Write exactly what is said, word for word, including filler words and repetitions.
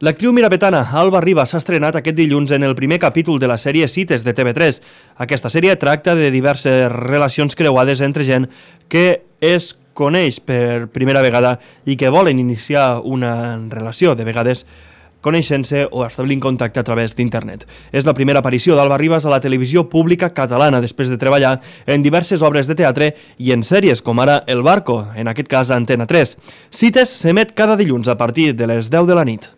L'actriu mirapetana Alba Ribas s'ha estrenat aquest dilluns en el primer capítol de la sèrie Cites de T V tres. Aquesta sèrie tracta de diverses relacions creuades entre gent que es coneix per primera vegada i que volen iniciar una relació, de vegades coneixent-se o establint contacte a través d'internet. És la primera aparició d'Alba Ribas a la televisió pública catalana després de treballar en diverses obres de teatre i en sèries com ara El Barco, en aquest cas a Antena tres. Cites s'emet cada dilluns a partir de les deu de la nit.